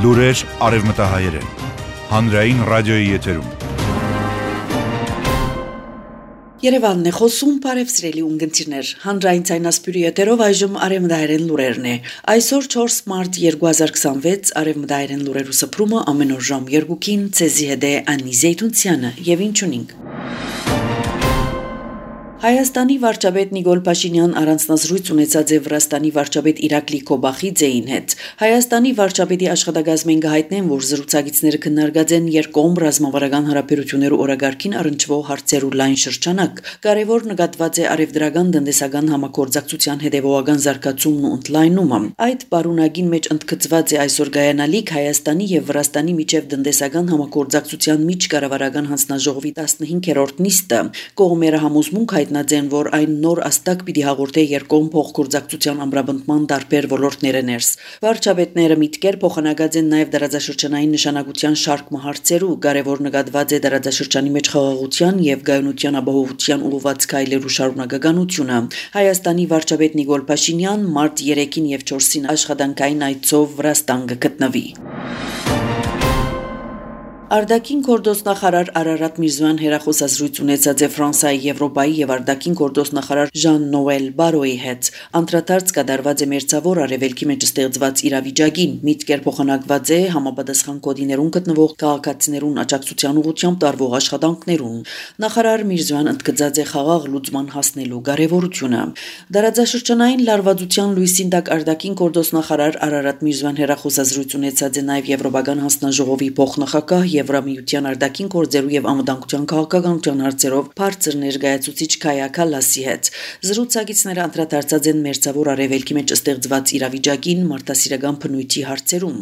Լուրեր արևմտահայերեն, հանրային ռադիոյի եթերում։ Երևանն է խոսում, բարև սիրելի ունգընտիրներ, հանրային ցայնասպյուրի եթերով այժմ արևմտահայերեն լուրերն է։ Այսօր 4 մարտ 2026 արևմտահայերեն լուրերու սփռումը ամեն օր ժամ 2-ին ցեզի հետ է Անի Զեյթունցյանը եւ ինչունինք։ Հայաստանի վարչապետ Նիկոլ Փաշինյան առանձնազրույց ունեցած է Վրաստանի վարչապետ Իրակլի Քոբախիձեին հետ։ Հայաստանի վարչապետի աշխատակազմին գահիտնեն, որ զրուցակիցները քննարկած են երկկողմ ռազմավարական հարաբերություններու օրագարկին առնչվող հարցերու լայն շրջանակ։ Կարևոր նկատված է արևդրական տնտեսական համագործակցության հետևողական զարգացումն ու ընդլայնումը։ Այդ պարունակին մեջ ընդգծված է այսօր գայանալիք Հայաստանի եւ Վրաստանի միջև տնտեսական համագործակցության միջկառավարական հանձնաժողովի 15-րդ նիստը։ Կողմերը համոզմունք հայտնած են, որ այն նոր աստակ պիտի հաղորդե երկկողմ փոխգործակցության ամրապնդման տարբեր ոլորտները ներս։ Վարչապետները միտքեր փոխանակած են նաև դարաձաշրջանային նշանակության շարք հարցերու, կարևոր նկատված է դարաձաշրջանի մեջ խաղաղության եւ գայունության ապահովության ուղղված քայլերու շարունակականությունը։ Հայաստանի վարչապետ Նիկոլ Փաշինյան մարտ 3-ին եւ 4-ին աշխատանքային այցով Վրաստան կգտնվի։ Արտաքին գործնախարար Արարատ Միրզոյան հերախոսազրույց ունեցած է Ֆրանսիայի, Եվրոպայի եւ արտաքին գործնախարար Ժան-Նոել Բարոյի հետ։ Անդրադարձ կատարված է մերձավոր արևելքի մեջ ստեղծված իրավիճակին, միտքեր փոխանակված է համապատասխան կոդիներուն գտնվող քաղաքացիներուն աջակցության ուղղությամբ տարվող աշխատանքներուն։ Նախարար Միրզոյան ընդգծած է խաղաղ լուծման հասնելու կարևորությունը։ Դարաձաշրջանային լարվածության լույսին տակ արտաքին գործնախարար Արարատ Միրզոյան հերախոսազրույց ունեցած է նաեւ Եվրոպական հանձնաժողովի փոխնախագահ Եվրամիության արտաքին գործերու եւ անվտանգության քաղաքականության հարցերով բարձր ներկայացուցիչ Քայա Քալասի հետ։ Զրուցակիցները անդրադարձած են մերձավոր արևելքի մեջ ստեղծված իրավիճակին, մարդասիրական բնույթի հարցերում։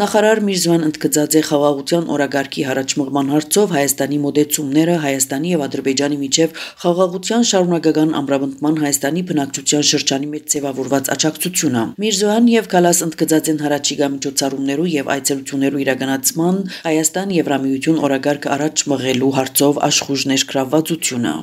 Նախարար Միրզոյան ընդգծած է խաղաղության օրագարկի հարաճմղման հարցով Հայաստանի մոտեցումները Հայաստանի եւ Ադրբեջանի միջև խաղաղության շարունակական ամրապնդման Հայաստանի բնակչության շրջանի մեջ ձևավորված աջակցությունը։ Միրզոյան եւ Քալաս ընդգծած են հարաճիգա միջոցառումներու եւ այցելություններու իրականացման Հայաստան Եվրամիություն օրագարկը առաջ մղելու հարցով աշխուժ ներգրավվածությունը։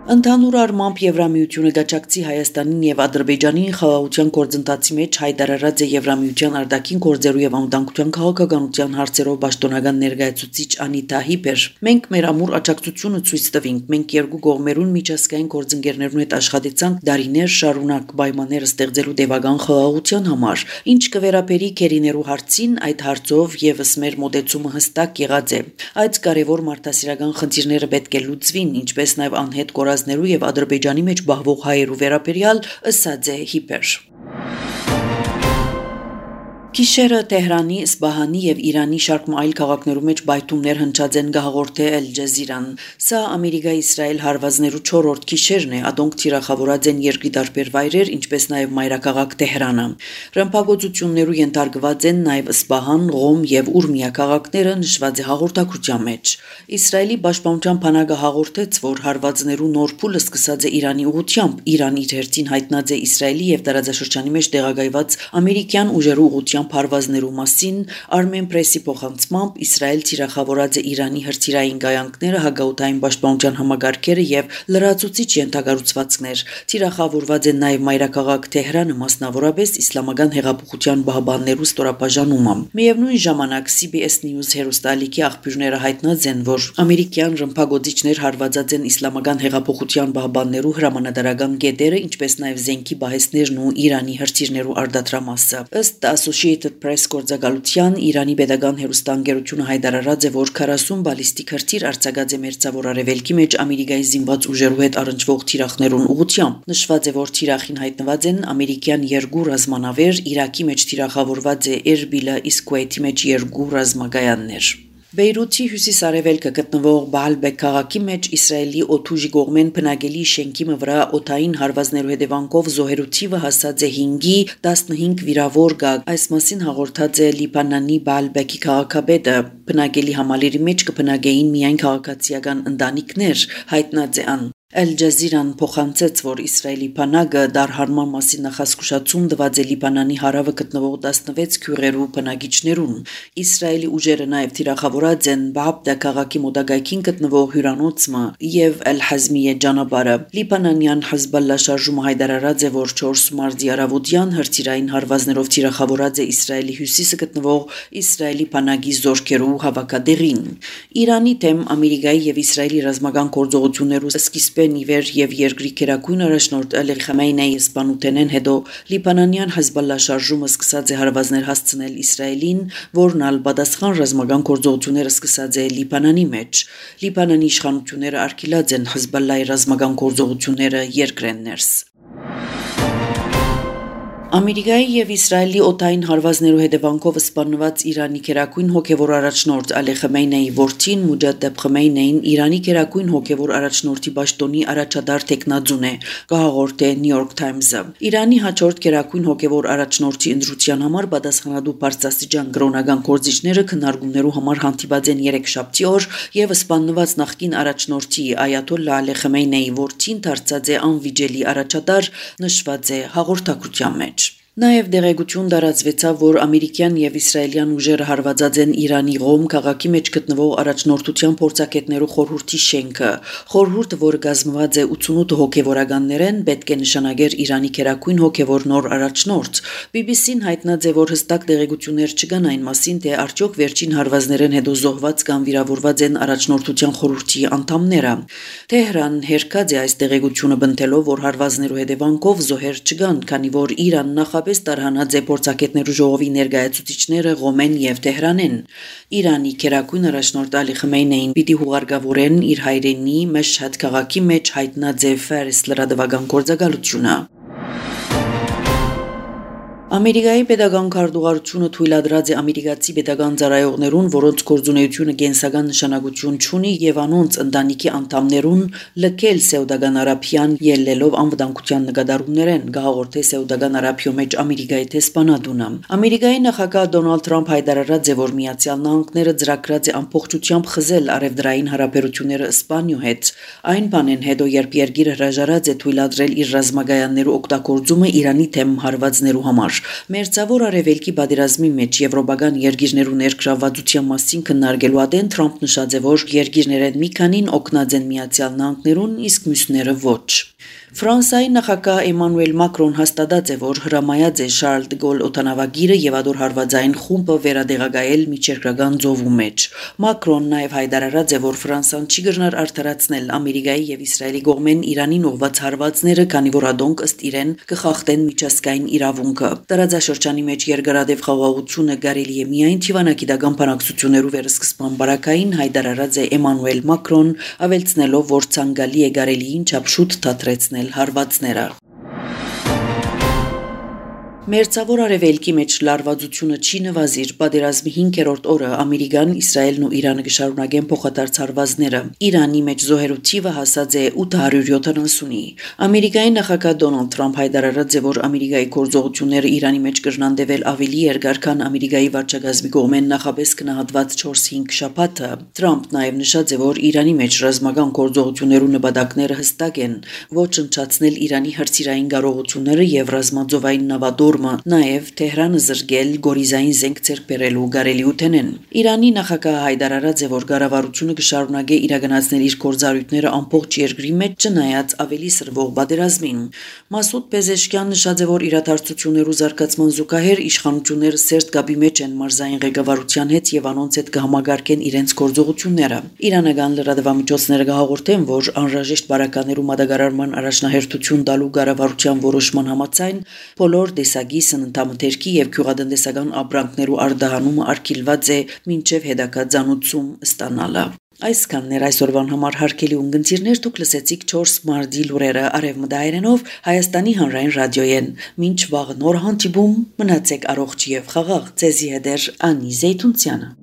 Ընդհանուր առմամբ Եվրամիությունը գաչակցի Հայաստանին եւ Ադրբեջանին խաղաղության գործընթացի մեջ հայտարարած է Եվրամիության արտաքին գործերու եւ անվտանգության քաղաքականության հարցերով պաշտոնական ներկայացուցիչ Անիտա Հիպեր։ Մենք մեր ամուր աջակցությունը ցույց տվինք։ Մենք երկու կողմերուն միջազգային գործընկերներուն հետ աշխատեցանք դարիներ շարունակ պայմաններ ստեղծելու տևական խաղաղության համար։ Ինչ կվերապերի քերիներու հարցին, այդ հարցով եւս մեր մոտեցումը հստակ եղած է։ Այդ կարևոր մարդասիրական խնդիրները պետք է լուծվին, ինչպես նաեւ անհետ կորածներու եւ Ադրբեջանի մեջ բահվող հայերու վերաբերյալ ըսած է Հիպեր։ Գիշերը Թեհրանի, Սպահանի եւ Իրանի շարք այլ քաղաքներու մեջ բայթումներ հնչած են գահաղորդե Al Jazeera-ն։ Սա Ամերիկա-Իսրայել հարվածներու 4-րդ գիշերն է, ադոնք թիրախավորած են երկրի տարբեր վայրեր, ինչպես նաեւ մայրաքաղաք Թեհրանը։ Ռմբակոծություններու ենթարկված են նաեւ Սպահան, Ղոմ եւ Ուրմիա քաղաքները, նշված է հաղորդակցության մեջ։ Իսրայելի պաշտպանության բանակը հաղորդեց, որ հարվածներու նոր փուլը սկսած է Իրանի ուղղությամբ։ Իրան իր հերթին հայտնած է Իսրայելի եւ տարածաշրջանի մեջ տեղակայված ամերիկյան ուժերու ուղղությամբ հարվածներու մասին Armen Press-ի փոխանցմամբ Իսրայել թիրախավորած է Իրանի հրթիռային գայանքները, հագաուտային պաշտպանության համագարկերը եւ լրացուցիչ ենթակառուցվածքներ։ Թիրախավորված է նաեւ մայրաքաղաք Թեհրանը, մասնավորապես Իսլամական հեղափոխության պահապաններու ստորաբաժանումը։ Միևնույն ժամանակ CBS News հեռուստաալիքի աղբյուրները հայտնած են, որ ամերիկյան ռմբակոծիչներ հարվածած են Իսլամական հեղափոխության պահապաններու հրամանատարական գետերը, ինչպես նաեւ զենքի բահեսներն ու Իրանի հրթիռներու արդատրամասը։ Ըստ Associated Press գործակալության Իրանի պետական հեռուստաընկերությունը հայտարարած է, որ 40 բալիստիկ հրթիռ արձակած է մերձավոր արևելքի մեջ Ամերիկայի զինված ուժերու հետ առնչվող թիրախներուն ուղղությամբ։ Նշված է, որ թիրախին հայտնված են ամերիկյան 2 ռազմանավեր, Իրաքի մեջ թիրախավորված է Էրբիլը, իսկ Քուվեյթի մեջ 2 ռազմագայաններ։ Բեյրութի հյուսիս-արևելքը գտնվող Բալբեկ քաղաքի մեջ Իսրայելի օդուժի կողմեն բնակելի շենքի վրա օդային հարվածներու հետևանքով զոհերու թիվը հասած է 5-ի, 15 վիրավոր կա։ Այս մասին հաղորդած է Լիբանանի Բալբեկի քաղաքապետը։ Բնակելի համալիրի մեջ կբնակեին միայն քաղաքացիական ընտանիքներ, հայտնած է ան։ Al Jazeera-ն փոխանցեց, որ Իսրայելի բանակը դարհարման մասին նախազգուշացում տված է Լիբանանի հարավը գտնվող 16 քյուղերու բնակիչներուն։ Իսրայելի ուժերը նաև թիրախավորած են Բաաբդա քաղաքի մոտակայքին գտնվող հյուրանոցը եւ Al-Hazmiya ճանապարհը։ Լիբանանյան Hezbollah շարժումը հայտարարած է, որ 4 մարտի առավոտյան հրթիռային հարվածներով թիրախավորած է Իսրայելի հյուսիսը գտնվող Իսրայելի բանակի զորքերու հավաքատեղին։ Իրանի դեմ Ամերիկայի եւ Իսրայելի ռազմական գործողություններու սկիզբեն իվեր եւ երկրի քերակույն առաջնորդ Ալի Խամեյնեի սպանութենեն հետո Լիբանանյան Hezbollah շարժումը սկսած է հարվածներ հասցնել Իսրայելին, որն ալ պատասխան ռազմական գործողությունները սկսած է Լիբանանի մեջ։ Լիբանանի իշխանությունները արգելած են Hezbollah-ի ռազմական գործողությունները երկրեն ներս։ Ամերիկայի եւ Իսրայելի օտային հարվածներու հետևանքով սպանված Իրանի քերակույն հոգեվոր առաջնորդ Ալի Խամեյնեի որդին Մուջադեբ Խամեյնեին Իրանի քերակույն հոգեվոր առաջնորդի պաշտոնի առաջադար տեխնաձուն է, կհաղորդե New York Times-ը։ Իրանի հաջորդ քերակույն հոգեվոր առաջնորդի ընտրության համար պատասխանատու բարձրաստիճան կրոնական գործիչները քննարկումներու համար հանդիպած են 3 շաբթի օր եւ սպանված նախկին առաջնորդի Այաթոլլա Ալի Խամեյնեի որդին դարձած է անվիճելի առաջատար, նշված է հաղորդակցության մեջ։ Նաև դեղեցություն դարածվեցավ, որ ամերիկյան եւ իսրայելյան ուժերը հարվածած են Իրանի Ղոմ քաղաքի մեջ գտնվող առաջնորդության փորձակետներու խորհրդի շենքը։ Խորհուրդը, որը կազմված է 88 հոգեվորականներեն, պետք է նշանակեր Իրանի քերակույն հոգեվոր նոր առաջնորդ։ BBC-ն հայտնած է, որ հստակ դեղեցություններ չկան այն մասին, թե արդյոք վերջին հարվածներեն հետո զոհված կամ վիրավորված են առաջնորդության խորհրդի անդամները։ Թեհրան հերքած է այս դեղեցությունը բնտելով, որ հարվածներու հետևանքով զոհեր չկան, քանի որ Իրան նախ տարհանած է փորձակետներու ժողովի ներկայացուցիչները Ղոմեն եւ Թեհրանեն։ Իրանի քերակույն առաջնորդ Ալի Խամեյնեին պիտի հուղարկավորեն իր հայրենի Մեշհադ քաղաքի մեջ հայտնած է Ֆարիս լրատվական գործակալությունը։ Ամերիկայի պետական քարտուղարությունը թույլատրած է ամերիկացի պետական ծառայողներուն, որոնց գործունեությունը կենսական նշանակություն չունի եւ անոնց ընտանիքի անդամներուն լքել Սաուդական Արաբիան ելնելով անվտանգության նկատառումներեն, գահորդե Սաուդական Արաբիո մեջ Ամերիկայի տեսփանատունը։ Ամերիկայի նախագահ Դոնալդ Թրամփ հայտարարած է, որ Միացյալ Նահանգները ծրագրած է ամբողջությամբ խզել արևդրային հարաբերությունները Իսպանիո հետ։ Այն բանեն հետո, երբ երկիրը հրաժարած է թույլատրել իր ռազմագայաններու օգտագործումը Իրանի թեմ հարվածներու համար։ Մերձավոր արևելքի պատերազմի մեջ եվրոպական երկիրներու ներգրավվածության մասին քննարկելու ադեն Թրամփ նշած է, որ երկիրներեն մի քանին օգնած են Միացյալ Նահանգներուն, իսկ մյուսները ոչ։ Ֆրանսիայի նախագահ Էմանուել Մակրոն հաստատած է, որ հրամայած է Շարլ դե Գոլ օդանավագիրը եւ ադոր հարվածային խումբը վերադեղակայել միջերկրական ծովու մեջ։ Մակրոն նաև հայտարարած է, որ Ֆրանսիան չի գնար արդարացնել Ամերիկայի եւ Իսրայելի կողմեն Իրանին ուղղված հարվածները, քանի որ ադոնք ըստ իրեն կխախտեն միջազգային իրավունքը։ Տարածաշրջանի մեջ երկարատև խաղաղությունը կարելի է միայն թիվանագիտական բանակցություններով վերսկսման բարակային, հայտարարած է Էմանուել Մակրոն, ավելցնելով, որ ցանկալի է կարելիին չափ շուտ դադրեցնել հարվածները։ Մերձավոր արևելքի մեջ լարվածությունը չի նվազիր, պատերազմի 5-րդ օրը Ամերիկան, Իսրայելն ու Իրանը կշարունակեն փոխադարձ հարվածները։ Իրանի մեջ զոհերու թիվը հասած է 870-ի։ Ամերիկայի նախագահ Դոնալդ Թրամփ հայտարարած է, որ Ամերիկայի գործողությունները Իրանի մեջ կրնանդեվել ավելի երկար, քան Ամերիկայի վարչակազմի կողմեն նախապես գնահատված 4-5 շաբաթը։ Թրամփ նաև նշած է, որ Իրանի մեջ ռազմական գործողություններու նպատակները հստակ են՝ ոչնչացնել Իրանի հրթիռային կարողությունները եւ ռազմաձովային նավատոր նաև Թեհրանը զրկել գորիզային զենք ձեռք բերելու կարելիութենեն։ Իրանի նախագահը հայտարարած է, որ կառավարությունը կշարունակե իրականացնել իր գործառույթները ամբողջ երկրի մեջ, չնայած ավելի սրվող պատերազմին։ Մասուդ Պեզեշկյան նշած է, որ իրադարձություններու զարգացման զուգահեռ իշխանությունները սերտ կապի մեջ են մարզային ղեկավարության հետ եւ անոնց հետ կհամագարկեն իրենց գործողությունները։ Իրանական լրատվամիջոցները կհաղորդեն, որ անհրաժեշտ բարականերու մատակարարման առաջնահերթություն տալու կառավարության որոշման համաձայն բոլոր դեսագի սննդամթերքի եւ գյուղատնտեսական ապրանքներու արտահանումը արգելված է մինչեւ հետագա ցանուցում ստանալը։ Այսքանն էր այսօրվան համար հարգելի ունգընտիրներ, դուք լսեցիք 4 մարտի լուրերը արևմտահայերենով Հայաստանի հանրային ռադիոյեն։ Մինչ վաղ նոր հանդիպում, մնացեք առողջ եւ խաղաղ։ Ձեզի հետ է Անի Զեյթունցյանը։